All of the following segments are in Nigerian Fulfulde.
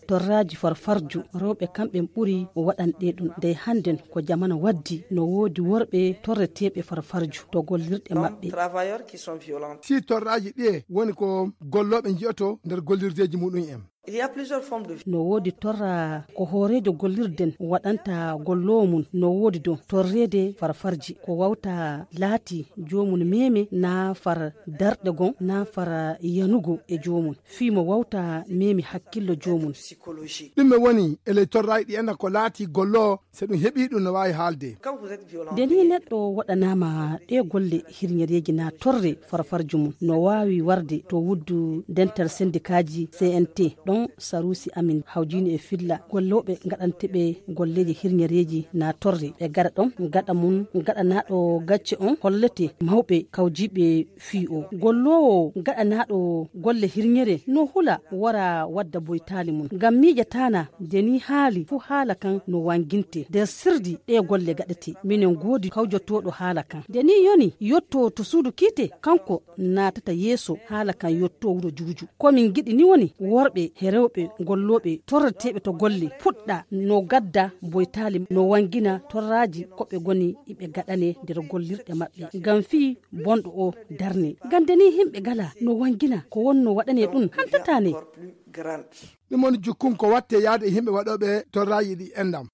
torraji farfarju rewɓe kamɓe ɓuri o waɗanɗe ɗum nde hannden ko jamana waddi no woodi worɓe torreteɓe farfarju to gollirɗe maɓɓe. si torraji ɗiye woni ko golloɓe jiyoto nder gollirdeji muɗum en. no woodi torra ko hoorejo gollirden waɗanta gollowo mum no woodi dow torrede farfarji ko wawta laati jomum meme na far darɗe gon na far yanugo e jomum fii mo wawta memi hakkillo jomum. ɗume woni ele torraji ɗi enda ko laati gollo se ɗum heeɓi ɗum no wawi haalde. nde ni neɗɗo waɗanama ɗe golle hirñereji na torre farfarju mum no wawi warde to wuddu dental syndikaji CNT ɗon sarusi amin hawjini e filla golloɓe gaɗanteɓe golleji hirñereji na torre ɓe gaɗa ɗon gaɗa mum gaɗanaɗo gacce on hollete mawɓe kawjiɓe fii o gollowo gaɗanaɗo golle hirñere no hula wara wadda boytali mum ngam miƴatana deni haali fu haala kan no wanginte nder sirdi ɗe golle gaɗete minen goodi kawjotoɗo haala kan deni yoni yotto to suudu kiite kanko natata yeeso haala kan yotto wuro juuju komin giɗi ni woni worɓe e rewɓe golloɓe torreteɓe to golle puɗɗa no gadda boytali no wangina torraji koɓe goni iɓe gaɗane nder gollirɗe maɓɓe ngam fii bonɗo o darne gande ni himɓe gala no wangina ko wonno waɗane ɗum hantatane. ɗum woni jukkum ko watte yaade himɓe waɗoɓe torraji ɗi endam.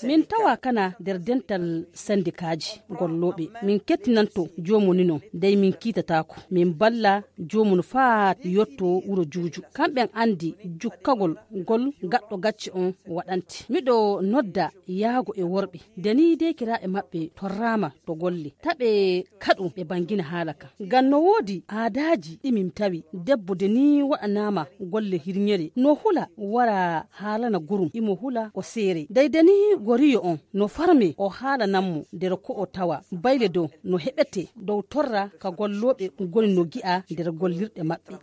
min tawa kana nder dental syndikaji golloɓe min kettinanto jomum ni non dey min kiitatako min balla jomum faa yotto wuro juuju kamɓen andi jukkagol gol gaɗɗo gacce on waɗante miɗo nodda yaago e worɓe deni dekiraɓe maɓɓe torrama to golle taɓe kaɗu ɓe bangina haala ka ngam no woodi aadaji ɗimin tawi debbo deni waɗanama golle hirñere no hula wara haalana gurum imo hula o seere daydani goriyo on no farme o haalananmo nder ko o tawa bayle dow no heɓete dow torra ka golloɓe goni no gi'a nder gollirɗe maɓɓe.